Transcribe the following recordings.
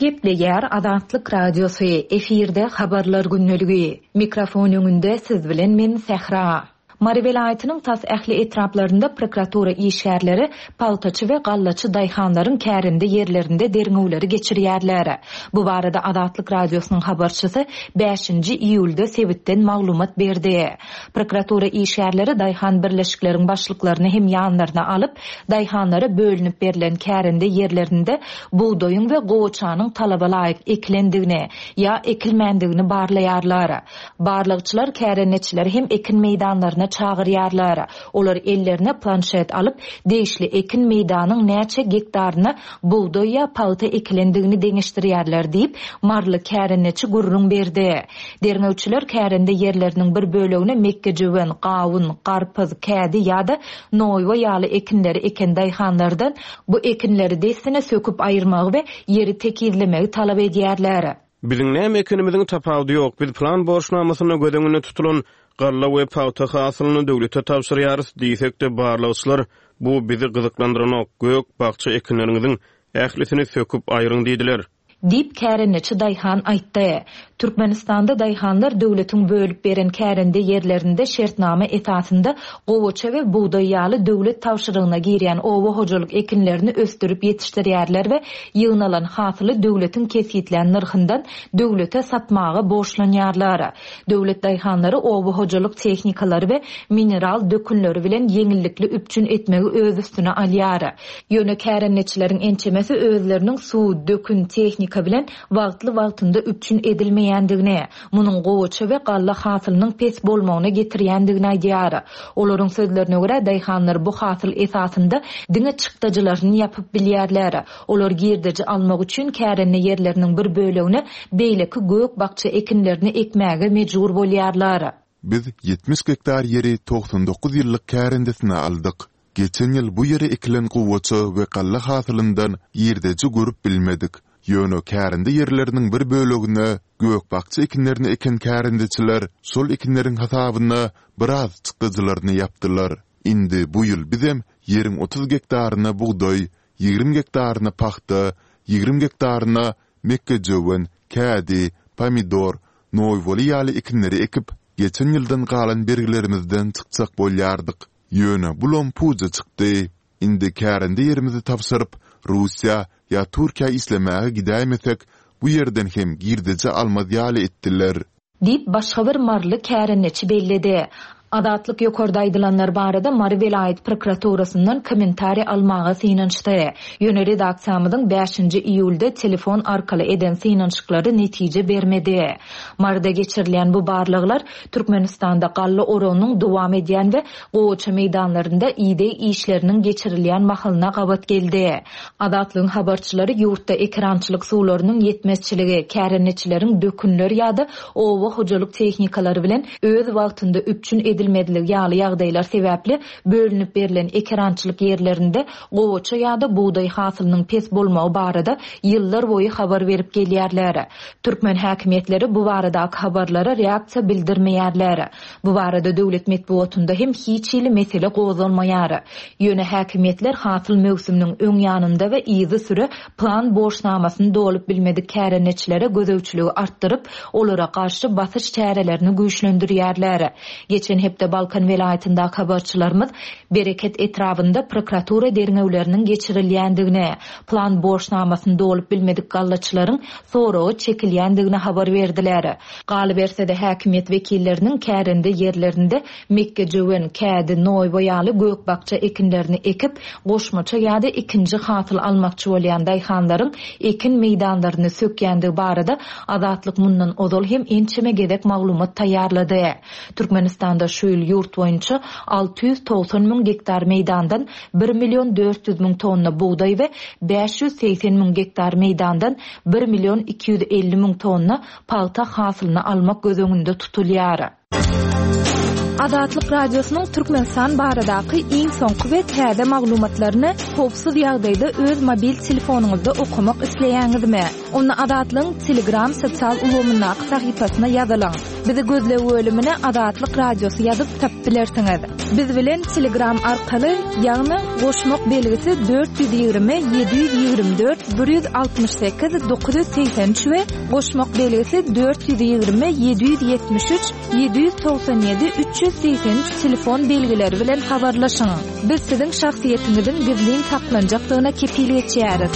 Gepleýär Azatlyk Radiosy, efirde Habarlar gündeligi. Mikrofon öňünde siz bilen men Sähra. Mary welaýatynyň tas ähli etraplarynda prokuratura işgärleri pagtaçy we gallaçy daýhanlaryň kärende ýerlerinde derňewleri geçirýärler. Bu barada Azatlyk Radiosynyň habarçysy bäşinji iýulda sebitden maglumat berdi. Prokuratura işgärleri daýhan birleşikleriň başlyklaryny hem ýanlaryna alyp, daýhanlara bölünip berlen kärende ýerlerinde bugdaýyň we gowaçanyň talaba laýyk ekilendigini ýa ekilmändigini barlaýarlar. Barlagçylar kärendeçileri hem ekin meýdanlaryna çagyrýarlar. Olar ellerine planşet alyp, degişli ekin meýdanyň näçe gektaryna bugdaý ýa pagta ekilendigini deňeşdirýärler diýip, maryly kärendeçi gürrüň berdi. Derňewçiler kärende ýerleriniň bir bölegine mekgejöwen, gawun, garpyz, kädi ýa-da noýba ýaly ekinleri eken daýhanlardan bu ekinleri dessine söküp aýyrmagy we ýeri tekizlemegi talap edýärler. Biziň näme ekenimiziň tapawudy ýok, biz plan borçnamasynda göz öňünde tutulan galla we pagta hasylyny döwlete tabşyrýarys diýsek-de, barlagçylar bu bizi gyzyklandyranok, gök, bakja ekinleriňiziň ählisini söküp aýryň diýdiler. Diýip, kärendeçi daýhan aýtdy. Türkmenistanda daýhanlar döwletiň bölüp beren kärende ýerlerinde şertnama esasynda gowaça we bugdaý ýaly döwlet tabşyrygyna girýän oba hojalyk ekinlerini ösdürip ýetişdirýärler we ýygnalan hasyly döwletiň kesgitlän nyrhyndan döwlete satmaga borçlanýarlar. Döwlet daýhanlary oba hojalyk tehnikalary we mineral dökünleri bilen ýeňillikli üpjün etmegi öz üstüne alýar. Ýöne kärendeçileriň ençemesi özleriniň suw, dökün, tehnika bilen wagtly-wagtynda üpjün edilmeýändigini, munuň gowaça we galla hasylynyň pes bolmagyna getirýändigini aýdýar. Olaryň sözlerine görä, daýhanlar bu hasyl esasynda diňe çykdajylaryny ýapyp bilýärler. Olar girdeji almak üçin kärende ýerleriniň bir bölegine beýleki gök-bakja ekinlerini ekmäge mejbur bolýarlar. Biz 70 gektar ýeri 99 ýyllyk kärendesine aldyk. Geçen ýyl bu ýere ekilen gowaça we galla hasylyndan girdeji görüp bilmedik. Ýöne kärende ýerleriniň bir bölegine gök-bakja ekinlerini eken kärendeçiler şol ekinleriň hasabyna biraz çykdajylaryny ýapdylar. Indi bu ýyl bizem ýeriň 30 gektaryna bugdaý, 20 gektaryna pagta, 20 gektaryna mekgejöwen, kädi, pomidor, noýbaly ýaly ekinleri ekip, geçen ýyldan galan bergilerimizden çykjak bolýardyk. Ýöne bulam puja çykdy. Indi kärende ýerimizi tabşyryp, Russiýa ýa Türkiýä işlemäge gidäýmesek, bu ýerden hem girdeji almaz ýaly etdiler. Diýip, başga bir maryly kärendeçi belledi. Azatlyk ýokarda aýdylanlar barada Mary welaýat prokuraturasyndan kommentariý almaga synanyşdy. Ýöne redaksiýamyzyň bäşinji iýulda telefon arkaly eden synanyşyklary netije bermedi. Maryda geçirilýän bu barlaglar Türkmenistanda galla oragynyň dowam edýän we gowaça meýdanlarynda ideg işleriniň geçirilýän mahalyna gabat geldi. Azatlygyň habarçylary ýurtda ekerançylyk suwlarynyň ýetmezçiligi, kärendeçileriň dökünler ýa-da oba hojalyk tehnikalary bilen öz wagtynda üpjün edilmezligi ýaly ýagdaýlar sebäpli bölünip berlen ekerançylyk ýerlerinde gowaça ýa-da bugdaý hasylynyň pes bolmagy barada ýyllarboýy habar berip gelýärler. Türkmen häkimiýetleri bu baradaky habarlara reaksiýa bildirmeýärler. Bu barada döwlet metbugatynda hem hiç hili mesele gozgalmaýar. Ýöne häkimiýetler hasyl möwsüminiň öň ýanynda we yzysüre plan borçnamasyny dolup bilmedik kärendeçilere gözegçiligi artdyryp, olara garşy basyş çärelerini güýçlendirýärler. Geçen hepde Balkan welaýatyndaky habarçylarymyz Bereket etrabynda prokuratura derňewleriniň geçirilýändigini, plan borçnamasyny dolup bilmedik gallaçylaryň soraga çekilýändigini habar berdiler. Galyberse-de, häkimiýet wekilleriniň kärende ýerlerinde mekgejöwen, kädi, noýba ýaly gök-bakja ekinlerini ekip, goşmaça ýa-da ikinji hasyl almakçy bolýan daýhanlaryň ekin meýdanlaryny sökýändigi barada Azatlyk mundan ozal hem ençeme gezek maglumat taýýarlady. Türkmenistanda şu ýyl ýurt boýunça 690 müň gektar meýdandan bir million 400 müň tonna bugdaý we 580 müň gektar meýdandan bir million 250 müň tonna pagta hasylyny almak göz öňünde tutulýar. Azatlyk Radiosynyň Türkmenistan baradaky iň soňky we täze maglumatlaryny howpsuz ýagdaýda öz mobil telefonyňyzda okamak isleýäňizmi? Onda Azatlygyň Telegram sosial ulgamyndaky sahypasyna ýazylyň. Bizi gözleg bölümine Azatlyk Radiosy ýazyp tapyp bilersiňiz. Biz bilen Telegram arkaly, ýagny goşmak belgisi 420 724 168 983 we goşmak belgisi 420 773 797 383 telefon belgileri bilen habarlaşyň. Biz siziň şahsyýetiňiziň gizlin saklanjakdygyna kepil geçýäris.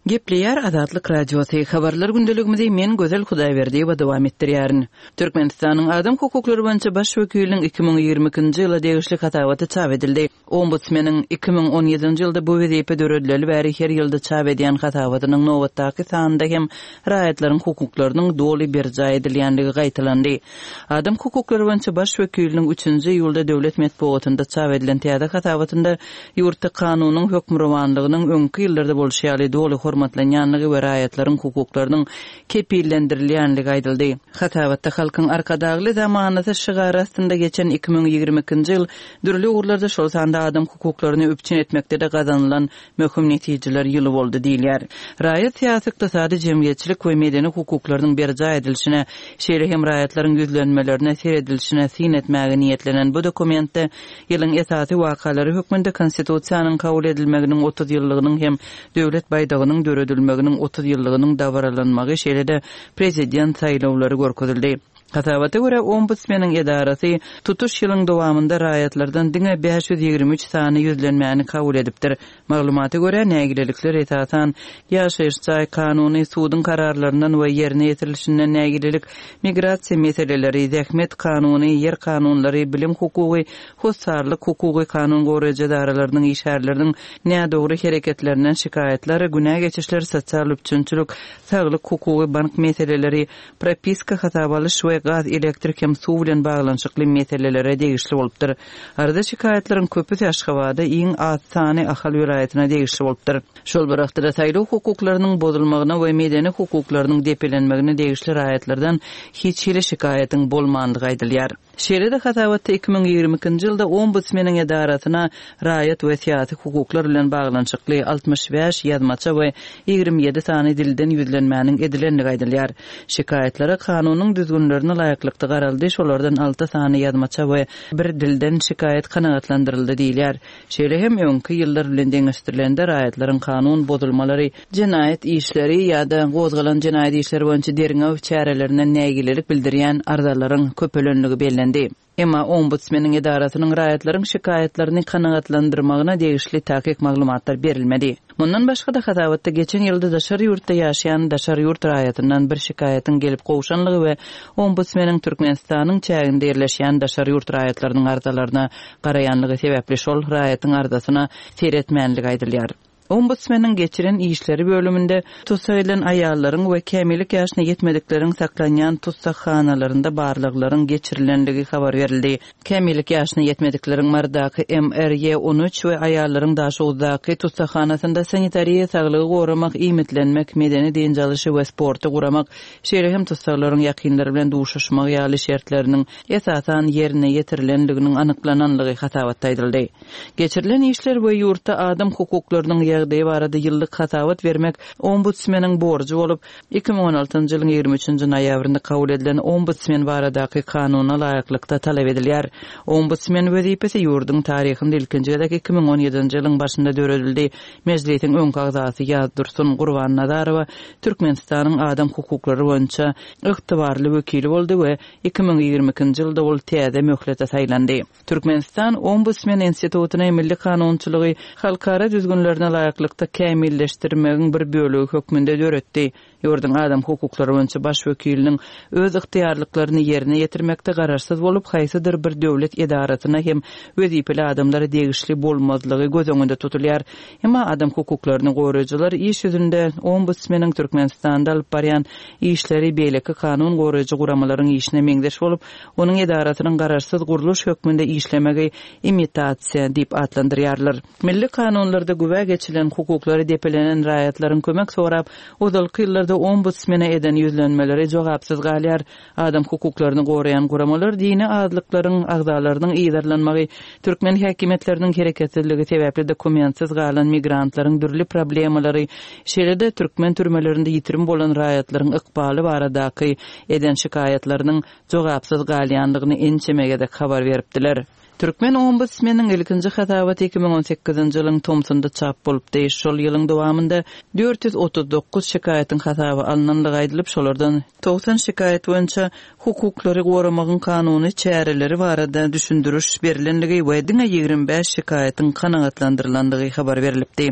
Gepleýär Azatlyk Radiosy, Habarlar gündeligimizi men Gözel Hudaýberdiýewa dowam etdirýärin. Türkmenistanyň Adam hukuklary boýunça Baş wekiliniň 2022-nji ýyla degişli hasabaty çap edildi. Ombudsmeniň 2017-nji ýylda bu wezipe döredileli bäri her ýylda çap edýän hasabatynyň nobatdaky sanynda hem raýatlaryň hukuklarynyň doly berjaý edilýändigi gaýtalandy. Adam hukuklary boýunça Baş wekiliniň üçünji iýulda döwlet metbugatynda çap edilen täze hasabatynda ýurtda kanunyň hökmürowanlygynyň öňki ýyllarda bolşy ýaly doly hormatlanýanlygy we raýatlaryň hukuklarynyň kepillendirilýänligi aýdyldy. Hasabatda Halkyň Arkadagly zamanasy şygary astynda geçen 2022-nji ýyl dürli ugurlarda, şol sanda adam hukuklaryny üpjün etmekde-de gazanylan möhüm netijeler ýyly boldy diýilýär. Raýat, syýasy, ykdysady, jemgyýetçilik we medeni hukuklarynyň berjaý edilişine, şeýle hem raýatlaryň ýüzlenmelerine seredilişine syn etmäge niýetlenen bu dokumentde ýylyň esasy wakalary hökmünde Konstitusiýanyň kabul edilmeginiň 30 ýyllygynyň hem Döwlet baýdagynyň döredilmeginiň 30 ýyllygynyň dabaralanmagy, şeýle-de Prezident saýlawlary görkezildi. Hasabata görä, Ombudsmeniň edarasy tutuş ýylyň dowamynda raýatlardan diňe 523 sany ýüzlenmäni kabul edipdir. Maglumata görä, nägilelikler, esasan, ýaşaýyş jaý kanuny, suduň kararlaryndan we ýerine ýetirilişinden nägilelik, migrasiýa meseleleri, zähmet kanuny, ýer kanunlary, bilim hukugy, hossarlyk hukugy, kanun goraýjy edaralarynyň işgärleriniň nädogry hereketlerinden şikaýatlar, günä geçişler, sosial üpjünçilik, saglyk hukugy, bank meseleleri, propiska, hasaba alyş we gaz, elektrik hem suw bilen baglanyşykly meselelere degişli bolupdyr. Arza-şikaýatlaryň köpüsi Aşgabada, iň az sany Ahal welaýatyna degişli bolupdyr. Şol bir wagtda-da saýlaw hukuklarynyň bozulmagyna we medeni hukuklarynyň depelenmegine degişli raýatlardan hiç hili şikaýatyň bolmandygy aýdylýar. Şeýle-de hasabatda 2022-nji ýylda Ombudsmeniň edarasyna raýat we syýasy hukuklar bilen baglanyşykly 65 ýazmaça we 27 sany dilden ýüzlenmäniň edilendigi aýdylýar. Şikaýatlara kanunyň düzgünlerine laýyklykda garaldy, şolardan alty sany ýazmaça we bir dilden şikaýat kanagatlandyryldy diýilýär. Şeýle hem öňki ýyllar bilen deňeşdirilende raýatlaryň kanun bozulmalary, jenaýat işleri ýa-da gozgalan jenaýat işleri boýunça derňew çärelerinden nägilelik bildirýän arzalaryň köpelenligi bellendi. Emma Ombudsmeniň edarasynyň raýatlaryň şikaýatlaryny kanagatlandyrmagyna degişli takyk maglumatlar berilmedi. Mundan başga-da, hasabatda geçen ýylda daşary ýurtda ýaşaýan daşary ýurt raýatyndan bir şikaýatyň gelip gowşanlygy we Ombudsmeniň Türkmenistanyň çäginde ýerleşýän daşary ýurt raýatlarynyň arzalaryna garaýanlygy sebäpli şol raýatyň arzasyna seretmänligi aýdylýar. Ombudsmeniň geçiren işleri bölüminde tussag edilen aýallaryň we kämillik ýaşyna ýetmedikleriň saklanýan tussaghanalarynda barlaglaryň geçirilenligi habar berildi. Kämillik ýaşyna ýetmedikleriň Marydaky MRY 13 we aýallaryň Daşoguzdaky tussaghanasynda sanitariýa, saglygy goramak, iýmitlenmek, medeni dynç alyşy we sporty guramak, şeýle hem tussaglaryň ýakynlary bilen duşuşmagy ýaly şertleriniň esasan ýerine ýetirilenliginiň anyklananlygy hasabatda aýdyldy. Geçirilen işler we ýurtda adam hukuklarynyň ýagdaýy barada ýyllyk hasabat bermek Ombudsmeniň borjy bolup, 2016-njy ýylyň 23-nji noýabrynda kabul edilen Ombudsmen baradaky Kanuna laýyklykda talap edilýär. Ombudsmen wezipesi ýurduň taryhynda ilkinji gezek 2017-nji ýylyň başynda döredildi. Mejlisiň öňki agzasy Ýazdursun Gurbannazarowa Türkmenistanyň adam hukuklary boýunça ygtybarly wekili boldy we 2022-nji ýylda ol täze möhlete saýlandy. Türkmenistan Ombudsmen institutyny milli kanunçylygy halkara düzgünlerine laýyklykda kämilleşdirmegiň bir bölegi hökmünde döretdi. Ýurduň adam hukuklary boýunça baş wekiliniň öz ygtyýarlyklaryny ýerine ýetirmekde garaşsyz bolup, haýsydyr bir döwlet edarasyna hem wezipeli adamlara degişli bolmazlygy göz öňünde tutulýar. Emma adam hukuklaryny goraýjylar iş ýüzünde Ombudsmeniň Türkmenistanda alyp barýan işleri beýleki kanun goraýjy guramalaryň işine meňzeş bolup, onuň edarasynyň garaşsyz gurluş hökmünde işlemegi imitasiýa diýip atlandyrýarlar. Milli kanunlarda güwä geçilen hukuklary depelenen raýatlaryň kömek sorap, ozalky ýyllarda. barada Ombudsmene eden ýüzlenmeleri jogapsyz galýar. Adam hukuklaryny goraýan guramalar dini azlyklaryň agzalarynyň yzarlanmagy, türkmen häkimiýetleriniň hereketsizligi sebäpli dokumentsiz galan migrantlaryň dürli problemalary, şeýle-de türkmen türmelerinde ýitirim bolan raýatlaryň ykbaly baradaky eden şikaýatlarynyň jogapsyz galýandygyny ençeme gezek habar beripdiler. Türkmen ombudsmeniň ilkinji hasabaty 2018-nji ýylyň tomsunda çap bolupdy. Şol ýylyň dowamynda 439 şikaýatyň hasaba alnandygy aýdylyp, şolardan 90 şikaýat boýunça hukuklary goramagyň kanuny çäreleri barada düşündiriş berlendigi we diňe 25 şikaýatyň kanagatlandyrylandygy habar berlipdi.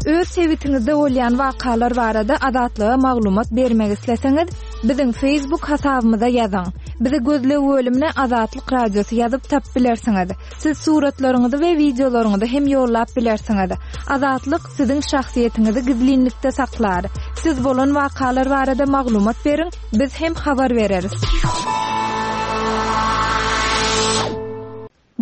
Öz sebitiňizde bolýan wakalar barada Azatlyga maglumat bermek isleseňiz, biziň Facebook hasabymyza ýazyň. Bizi gözleg bölümine Azatlyk Radiosy ýazyp tapyp bilersiňiz. Siz suratlaryňyzy we wideolaryňyzy hem ýollap bilersiňiz. Azatlyk siziň şahsyýetiňizi gizlinlikde saklar. Siz bolan wakalar barada maglumat beriň, biz hem habar bereris.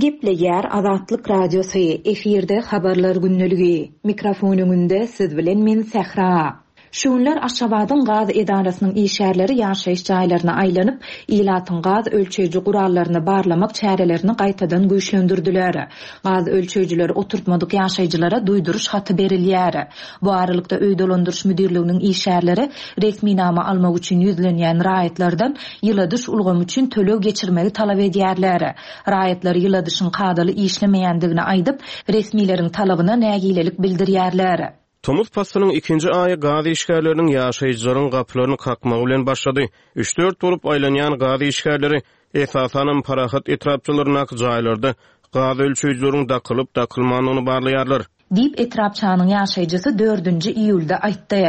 Gepleýär Azatlyk Radiosy, efirde Habarlar gündeligi. Mikrofon öňünde siz bilen men Sähra. Şu günler Aşgabadyň gaz edarasynyň işgärleri ýaşaýyş jaýlaryna aýlanyp, ilatyň gaz ölçeýji gurallaryny barlamak çärelerini gaýtadan güýçlendirdiler. Gaz ölçeýjileri oturtmadyk ýaşaýjylara duýduryş haty berilýär. Bu aralykda, öý dolandyryş müdirliginiň işgärleri resminama almak üçin ýüzlenýän raýatlardan ýyladyş ulgamy üçin töleg geçirmegi talap edýärler. Raýatlar ýyladyşyň kadaly işlemeýändigini aýdyp, resmileriň talabyna nägilelik bildirýärler. Tomus paslynyň ikinji aýy gaz işgärleriniň ýaşaýjylaryň gapylaryny kakmagy bilen başlady. Üç-dört bolup aýlanýan gaz işgärleri, esasanam, Parahat etrapçalaryndaky jaýlarda gaz ölçeýjileriň dakylyp-dakylmandygyny barlaýarlar. Diýip, etrapçanyň ýaşaýjysy dördünji iýulda aýtdy.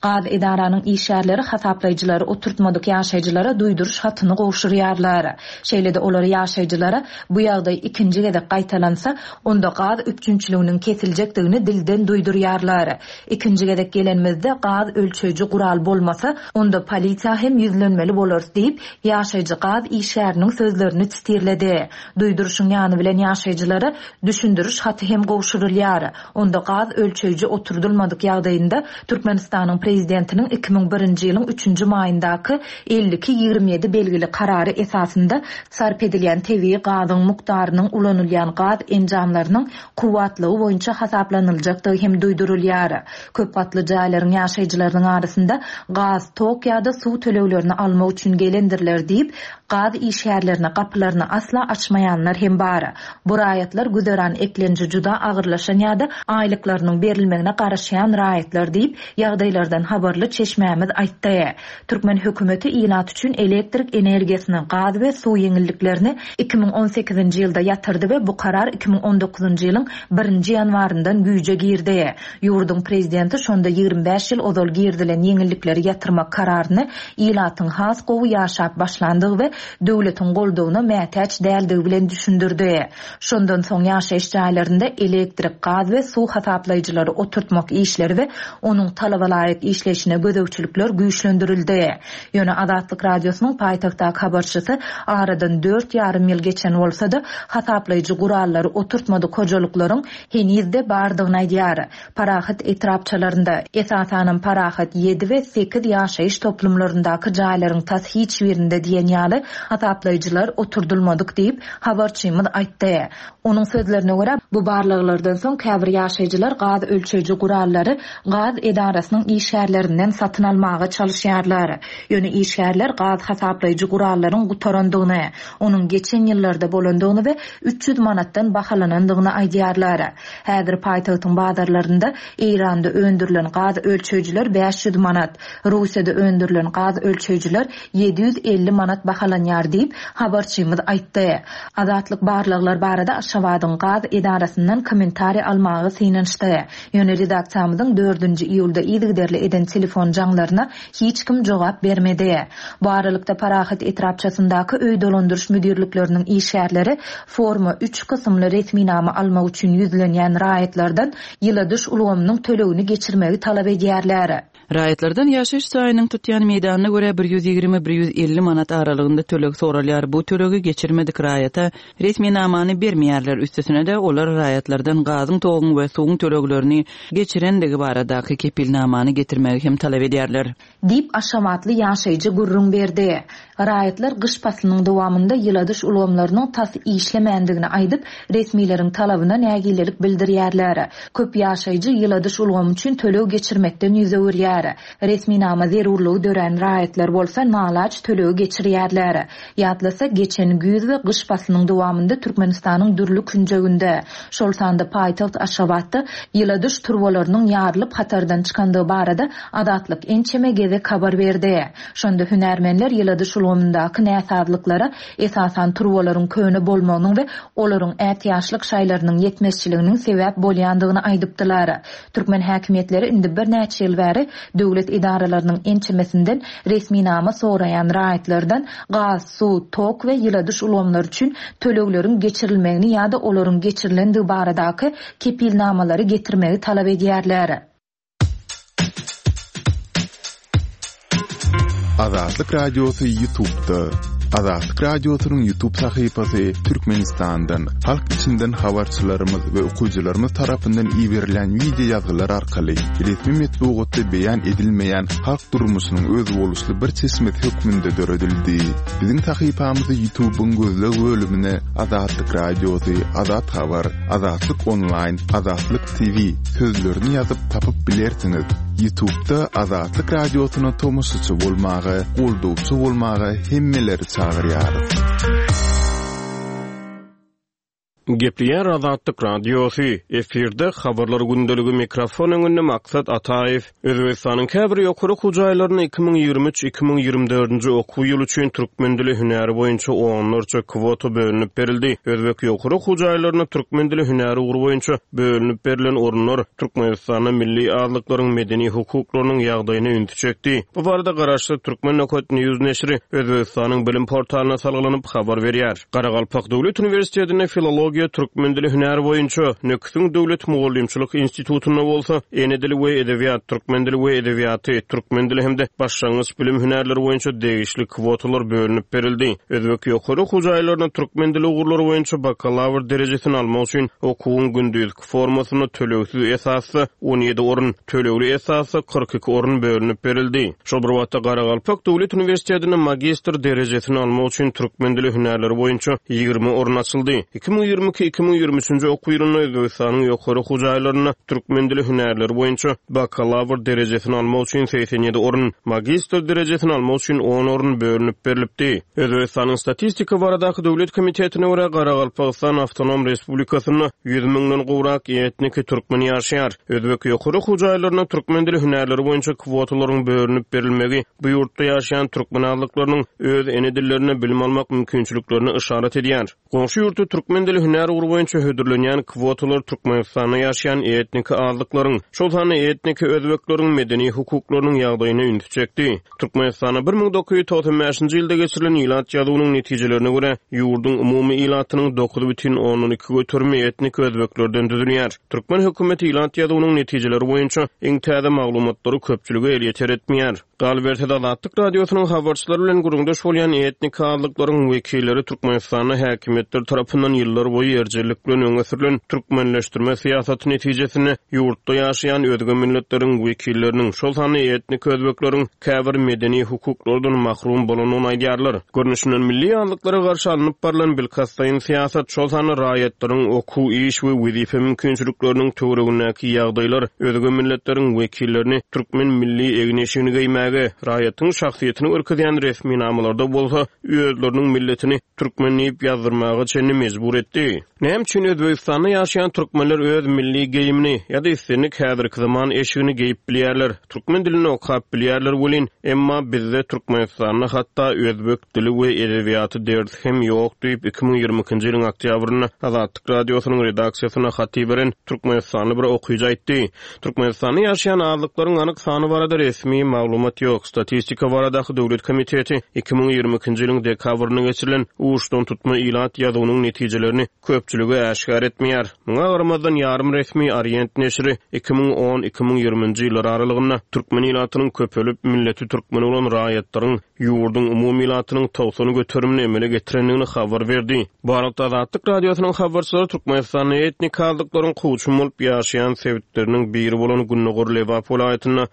Gaz edaranyň işgärleri hasaplaýjylary oturtmadyk ýaşaýjylara duýduryş hatyny gowşurýarlar. Şeýle-de olar ýaşaýjylara bu ýagdaý ikinji gezek gaýtalansa, onda gaz üpjünçiliginiň kesiljekdigini dilden duýdurýarlar. Ikinji gezek gelenimizde gaz ölçeýji gural bolmasa, onda polisiýa hem ýüzlenmeli bolarys diýip, ýaşaýjy gaz işgäriniň sözlerini sitirledi. Duýduryşyň ýany bilen ýaşaýjylara düşündiriş haty hem gowşurylýar. Onda gaz ölçeýji oturdylmadyk ýagdaýynda Türkmenistanyň Prezidentiniň 2001-nji ýylyň üçünji maýyndaky 52 27 belgili Karary esasynda sarp edilýän tebigy gazyň mukdarynyň ulanylýan gaz enjamlarynyň kuwwatlygy boýunça hasaplanyljakdygy hem duýdurylýar. Köp gatly jaýlaryň ýaşaýjylarynyň arasynda gaz, tok ýa-da suw töleglerini almak üçin gelendirler diýip, gaz işgärlerine gapylaryny asla açmaýanlar hem bar. Bu raýatlar güzeran eklenji juda agyrlaşan ýa-da aýlyklarynyň berilmegine garaşýan raýatlar diýip, ýagdaýlardan habarly çeşmämiz aýtdy. Türkmen hökümeti ilat üçin elektrik energiýasyny, gaz we suw ýeňilliklerini 2018-nji ýylda ýatyrdy we bu karar 2019-njy ýylyň birinji ýanwaryndan güýje girdi. Ýurduň prezidenti şonda 25 ýyl ozal girizilen ýeňillikleri ýatyrmak kararyny ilatyň has gowy ýaşap başlandygy we döwletiň goldawyna mätäç däldigi bilen düşündirdi. Şondan soň ýaşaýyş jaýlarynda elektrik, gaz we suw hasaplaýjylary oturtmak işleri we onuň talaba laýyk işleýşine gözegçilikler güýçlendirildi. Ýöne Azatlyk Radiosynyň paýtagtdaky habarçysy aradan dört ýarym ýyl geçen bolsa-da, hasaplaýjy gurallary oturtmadyk hojalyklaryň heniz-de bardygyny aýdýar. Parahat etrapçalarynda, esasanam Parahat ýedi we sekiz ýaşaýyş toplumlaryndaky jaýlaryň tas hiç birinde diýen ýaly hasaplaýjylar oturdylmadyk diýip, habarçymyz aýtdy. Onuň sözlerine görä, bu barlaglardan soň käbir ýaşaýjylar gaz ölçeýji gurallary gaz edarasynyň işgärlerinden satyn almaga çalyşýarlar. Ýöne işgärler gaz hasaplaýjy gurallaryň gutarandygyny, onuň geçen ýyllarda bolandygyny we 300 manatdan bahalanandygyny aýdýarlar. Häzir paýtagtyň bazarlarynda Eýranda öndürilen gaz ölçeýjiler 500 manat, Russiýada öndürilen gaz ölçeýjiler 750 manat bahalanýar diýip, habarçymyz aýtdy. Azatlyk barlaglar barada Aşgabadyň gaz edarasyndan kommentariý almaga synanyşdy. Ýöne redaksiýamyzyň dördünji iýulda yzygiderli eden telefon jaňlaryna hiç kim jogap bermedi. Bu aralykda, Parahat etrapçasyndaky öý dolandyryş müdirlikleriniň işgärleri Forma üç kysymly resminama almak üçin ýüzlenýän raýatlardan ýyladyş ulgamynyň tölegini geçirmegi talap edýärler. Raýatlardan ýaşaýyş jaýynyň tutýan meýdanyna görä 120, 150 manat aralygynda töleg soralýar. Bu tölegi geçirmedik raýata resminamany bermeýärler. Üstesine-de, olar raýatlardan gazyň, toguň we suwuň töleglerini geçirendigi baradaky kepilnamany getirmegi hem talap edýärler. Diýip, aşgabatly ýaşaýjy gürrüň berdi. Raýatlar gyş paslynyň dowamynda ýyladyş ulgamlarynyň tas işlemändigini aýdyp, resmileriň talabyna nägilelik bildirýärler. Köp ýaşaýjy ýyladyş ulgamy üçin töleg geçirmekden ýüz öwürýär. Resminama zerurlygy dörän raýatlar bolsa nalaç tölegi geçirýärler. Ýatlasak, geçen güýz we gyş paslynyň dowamynda Türkmenistanyň dürli künjeginde, şol sanda paýtagt Aşgabatda ýyladyş turbalarynyň ýarylyp hatardan çykandygy barada Azatlyk ençeme gezek habar berdi. Şonda hünärmenler ýyladyş ulgamyndaky näsazlyklara esasan turbalaryň köne bolmagynyň we olaryň ätiýaçlyk şaýlarynyň ýetmezçiliginiň sebäp bolýandygyny aýdypdylar. Türkmen häkimiýetleri indi birnäçe ýyl bäri döwlet edaralarynyň ençemesinden resminama soraýan raýatlardan gaz, suw, tok we ýyladyş ulgamlary üçin tölegleriň geçirilmegini ýa-da olaryň geçirilendigi baradaky kepilnamalary getirmegi talap edýärler. Azatlyk Radiosy Ýutubda. Azatlyk Radiosynyň Ýutub sahypasy Türkmenistandan, halk içinden habarçylarymyz we okyjylarymyz tarapyndan iberilen wideo ýazgylar arkaly resmi metbugatda beýan edilmeýän halk durmuşynyň özboluşly bir çeşmesi hökmünde döredildi. Biziň sahypamyzy Ýutubyň gözleg bölümine Azatlyk Radiosy, Azat Habar, Azatlyk Onlaýn, Azatlyk TV sözlerini ýazyp tapyp bilersiňiz. Ýutubda Azatlyk Radiosyna tomaşaçy bolmaga, goldawçy bolmaga hemmeleri çagyrýarys. Gepleýär Azatlyk Radiosy, efirde Habarlar gündeligi mikrofon öňünde Maksat Ataýew. Özbegistanyň käbir ýokary okuw jaýlarynda 2023, 2024-nji okuw ýyly üçin türkmen dili hünäri boýunça onlarça kwota bölünip berildi. Özbek ýokary okuw jaýlarynda türkmen dili hünäri ugry boýunça bölünip berlen orunlar Türkmenistanda milli azlyklaryň medeni hukuklarynyň ýagdaýyna ünsi çekdi. Bu barada garaşsyz Türkmen Nokat News neşiri Özbegistanyň bilim portalyna salgylanyp habar berýär. Garagalpak döwlet uniwersitetinde filologiýa, türkmen dili hünäri boýunça, Nöküsiň döwlet mugallymçylyk institutynda bolsa ene dili we edebiýat, türkmen dili we edebiýaty, türkmen dili hem-de başlangyç bilim hünärleri boýunça degişli kwotalar bölünip berildi. Özbek ýokary okuw jaýlarynda türkmen dili ugurlary boýunça bakalawr derejesini almak üçin okuwyň gündizki formasynda tölegsiz esasda 17 orun, tölegli esasda 42 orun bölünip berildi. Şol bir wagtda, Garagalpak döwlet uniwersitetinde magistr derejesini almak üçin türkmen dili hünärleri boýunça 20 orun açyldy. 2022, 2023-nji okuw ýylynda Özbegistanyň ýokary okuw jaýlarynda türkmen dili hünärleri boýunça bakalawr derejesini almak üçin 87 orun, magistr derejesini almak üçin on orun bölünip berlipdi. Özbegistanyň Statistika baradaky döwlet komitetine görä, Garagalpagystan awtonom respublikasynda ýüz müňden gowrak etniki türkmen ýaşaýar. Özbek ýokary okuw jaýlarynda türkmen dili hünärleri boýunça kwotalaryň bölünip berilmegi bu ýurtda ýaşaýan türkmen azlyklarynyň öz ene dillerinde bilim almak mümkinçiliklerine yşarat edýär. Goňşy ýurtda türkmen dili hünär ugry boýunça hödürlenýän kwotalar Türkmenistanda ýaşaýan etniki azlyklaryň, şol sanda etniki özbekleriň medeni hukuklarynyň ýagdaýyna ünsi çekdi. Türkmenistanda 1995-nji ýylda geçirilen ilat ýazuwynyň netijelerine görä, ýurduň umumy ilatynyň 9,2 göterimi etniki özbeklerden düzülýär. Türkmen hökümeti ilat ýazuwynyň netijeleri boýunça iň täze maglumatlary köpçülige elýeter etmeýär. Galyberse-de, Azatlyk Radiosynyň habarçylary bilen gürrüňdeş bolýan etniki azlyklaryň wekilleri Türkmenistanda häkimiýetler tarapyndan ýyllar boýu erjellik bilen öňe sürlen türkmenleşdirme syýasaty netijesinde ýurtda ýaşaýan özge milletleriň wekilleriniň, şol sanda etniki özbekleriň käbir medeni hukuklardan mahrum bolandygyny aýdýarlar. Görnüşinden, milli azlyklara garşy alnyp barlan bilkastlaýyn syýasat, şol sanda raýatlaryň okuw, iş we wezipe mümkinçilikleriniň töweregindäki ýagdaýlar özge milletleriň wekillerini türkmen milli egin-eşigini geýmäge, raýatyň şahsyýetini görkezýän resminamalarda bolsa özleriniň milletini türkmen diýip ýazdyrmaga çenli mejbur etdi. Näme üçin Özbegistanda ýaşaýan türkmenler öz milli geýimini ýa-da islendik häzirki zaman eşigini geýip bilýärler, türkmen dilinde okap bilýärler welin, emma bizde Türkmenistanda hatda özbek dili we edebiýaty dersi hem ýok diýip, 2022-nji ýylyň oktýabrynda Azatlyk Radiosynyň redaksiýasyna hat iberen türkmenistanly bir okyjy aýtdy. Türkmenistanda ýaşaýan azlyklaryň anyk sany barada resmi maglumat ýok. Statistika baradaky döwlet komiteti 2022-nji ýylyň dekabrynda geçirilen uçdantutma ilat ýazuwynyň netijelerini köp. köpçülige äşgär etmeýär. Muňa garamazdan, ýarym resmi Orient neşiri 2010, 2020-nji ýyllar aralygynda türkmen ilatynyň köpelip, milleti türkmen bolan raýatlaryň ýurduň umumy ilatynyň 90 göterimini emele getirendigini habar berdi. Bu aralykda, Azatlyk Radiosynyň habarçylary Türkmenistanda etnik azlyklaryň kowçum bolup ýaşaýan sebitleriniň biri bolan gündogar Lebap welaýatynda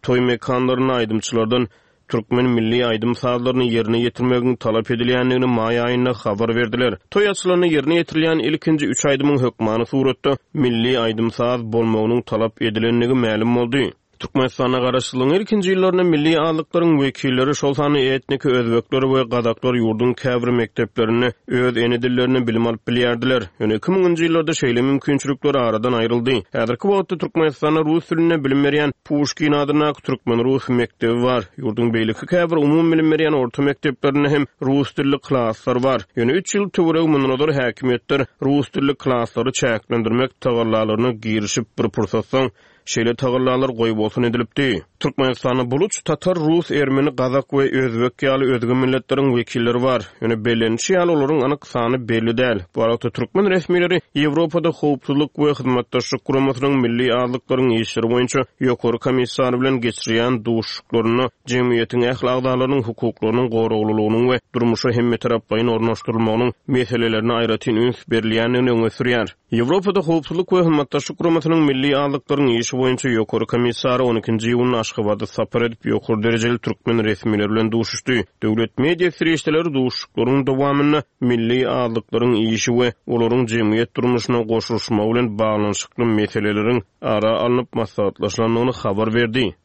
toý mekanlarynda aýdymçylardan türkmen milli aýdym-sazlaryny ýerine ýetirmegiň talap edilýändigini maý aýynda habar berdiler. Toý açylanda ýerine ýetirilýän ilkinji üç aýdymyň hökmany suratda milli aýdym-saz bolmagynyň talap edilendigi mälim boldy. Türkmenistanda garaşsyzlygyň ilkinji ýyllarynda milli azlyklaryň wekilleri, şol sanda etniki özbekler we gazaklar ýurduň käbir mekdeplerinde öz ene dillerinde bilim alyp bilýärdiler. Ýöne iki müňünji ýyllarda şeýle mümkinçilikler aradan aýryldy. Häzirki wagtda Türkmenistanda rus dilinde bilim berýän Puşkin adyndaky türkmen-rus mekdebi bar. Ýurduň beýleki käbir umumybilim berýän orta mekdeplerinde hem rus dilli klaslar bar. Ýöne üç ýyl töweregi mundan ozal häkimiýetler rus dilli klaslary çäklendirmek tagallalaryna girişip, bir pursat soň şeýle tagallalar goýbolsun edilipdi. Türkmenistanda buluç, tatar, rus, ermeni, gazak we özbek ýaly özge milletleriň wekilleri bar. Ýöne bellenişi ýaly, olaryň anyk sany belli däl. Bu aralykda türkmen resmileri Ýewropada Howpsuzlyk we Hyzmatdaşlyk Guramasynyň milli azlyklaryň işleri boýunça Ýokary komissary bilen geçirýän duşuşyklarynda jemgyýetiň ähli agzalarynyň hukuklarynyň goraglylygynyň we durmuşa hemmetaraplaýyn ornaşdyrylmagynyň meselelerine aýratyn üns berilýändigini öňe sürýär. Ýewropada Howpsuzlyk we Hyzmatdaşlyk Guramasynyň milli azlyklaryň işi boýunça Ýokary komissary on ikinji iýunda Aşgabada sapar edip, ýokary derejeli türkmen resmileri bilen duşuşdy. Döwlet media serişdeleri duşuşyklaryň dowamynda milli azlyklaryň işi we olaryň jemgyýet durmuşyna goşulyşmagy bilen baglanyşykly meseleleriň ara alnyp maslahatlaşylandygyny habar berdi.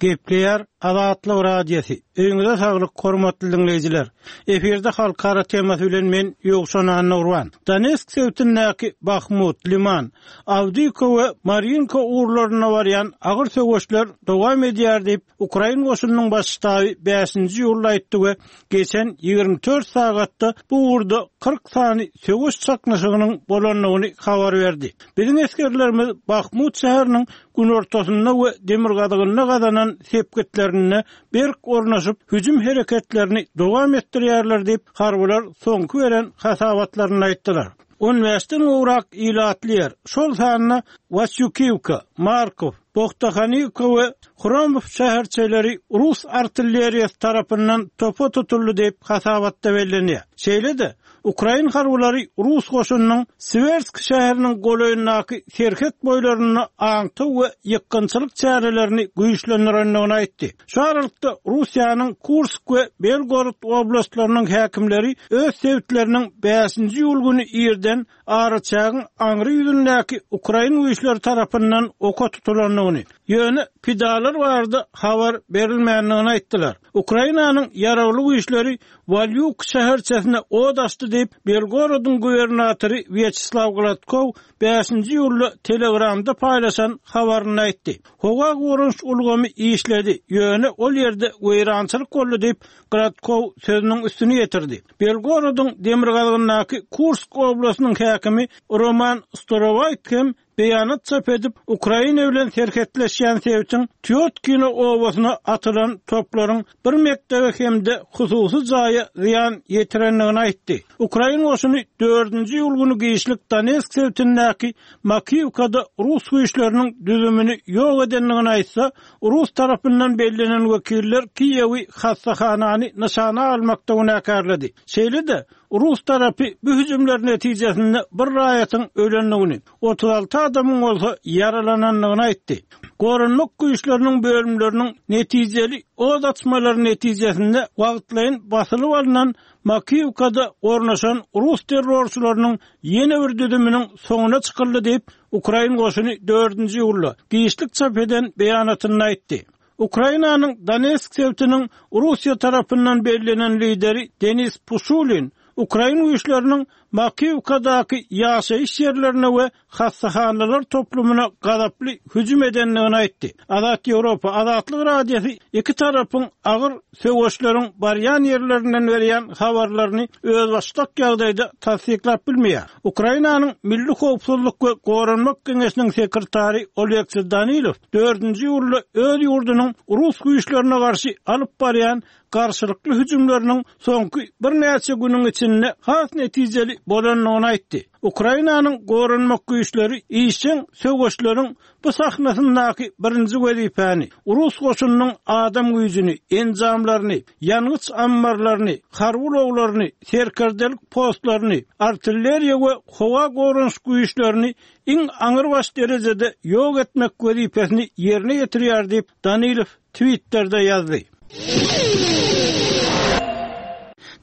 Gepleýär Azatlyk Radiosy. Öýüňize saglyk, hormatly diňleýjiler! Efirde halkara temasy bilen men Ýowşan Annagurban. Donetsk sebitindäki Bahmut, Liman, Awdiýka we Marýinka ugurlarynda barýan agyr söweşler dowam edýär diýip, Ukrain goşunynyň baş ştaby bäşinji iýulda aýtdy we geçen 24 sagatda bu ugurda 40 sany söweş çaknyşygynyň bolandygyny habar berdi. Biziň esgerlerimiz Bahmut şäheriniň günortasynda we demirgazygynda gazanan sepgitlerinde berk ornaşyp, hüjüm hereketlerini dowam etdirýärler diýip, harbylar soňky beren hasabatlarynda aýtdylar. On bäşden gowrak ilatly ýer, şol sanda Wasýukiwka, Markow, Bohtahaniwka we Hromow şäherçeleri rus artilleriýasy tarapyndan topa tutuldy diýip, hasabatda bellenýär. Şeýle-de, Ukrain harbylary rus goşunynyň Siwersk şäheriniň golaýyndaky serhet boýlarynda aňtaw we ýykgynçylyk çärelerini güýçlendirendigini aýtdy. Şu aralykda, Russiýanyň Kursk we Belgorod oblastlarynyň häkimleri öz sebitleriniň bäşinji iýul güni irden araçägiň aňry ýüzündäki ukrain güýçleri tarapyndan oka tutulandygyny, ýöne pidalar barada habar berilmändigini aýtdylar. Ukrainanyň ýaragly güýçleri Walýuk şäherçesine ot açdy diýip, Belgorodyň gubernatory Wýaçeslaw Gladkow bäşinji iýulda Telegramda paýlaşan habarynda aýtdy. Howa goranyş ulgamy işledi, ýöne ol ýerde weýrançylyk boldy diýip, Gladkow sözüniň üstüni ýetirdi. Belgorodyň demirgazygyndaky Kursk oblastynyň häkimi Roman Storowaýt hem beýanat çap edip, Ukraina bilen serhetleşýän sebitiň Týotkino obasyna atylan toplaryň bir mekdebe hem-de hususy jaýa zyýan ýetirendigini aýtdy. Ukrain goşuny dördünji iýul güni giçlik Donetsk sebitindäki Makiwkada rus güýçleriniň düzümini ýok edendigini aýtsa, rus tarapyndan bellenen wekiller Kiýewi hassahanany nyşana almakda günäkärledi. Şeýle-de, Rus tarapy bu hüjümler netijesinde bir raýatyň ölendigini, 36 adamyň bolsa ýaralanandygyny aýtdy. Goranmak güýçleriniň bölümleriniň netijeli ot açmalary netijesinde wagtlaýyn basylyp alnan Makiýewkada ornaşan rus terrorçylarynyň ýene bir düzüminiň soňuna çykyldy diýip, ukrain goşuny dördünji iýulda giçlik çap eden beýanatynda aýtdy. Ukrainanyň Donetsk sebitiniň Russiýa tarapyndan bellenen lideri Denis Puşulin ukrain güýçleriniň Makiwkadaky ýaşaýyş ýerlerine we hassahanalar toplumyna gazaply hüjüm edendigini aýtdy. Azat Ýewropa, Azatlyk Radiosy iki tarapyň agyr söweşleriň barýan ýerlerinden berýän habarlaryny özbaşdak ýagdaýda tassyklap bilmeýär. Ukrainanyň Milli howpsuzlyk we goranmak geňeşiniň sekretary Oleksiý Danilow dördünji iýulda öz ýurdunyň rus güýçlerine garşy alyp barýan garşylykly hüjümleriniň soňky birnäçe günüň içinde has netijeli bolandygyny aýtdy. Ukrainanyň goranmak güýçleri işjeň söweşleriň bu sahnasyndaky birinji wezipäni, rus goşunynyň adam güýjüni, enjamlaryny, ýangyç ammarlaryny, harby ulaglaryny, serkerdelik postlaryny, artilleriýa we howa goranyş güýçlerini iň aňrybaş derejede ýok etmek wezipesini ýerine ýetirýär diýip, Danilow Twitterde ýazdy.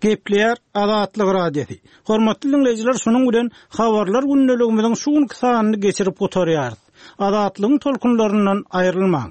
Gepleýär Azatlyk Radiosy. Hormatly diňleýjiler, şunuň bilen Habarlar gündeligimiziň şu günki sanyny geçirip gutarýarys. Azatlygyň tolkunlaryndan aýrylmaň.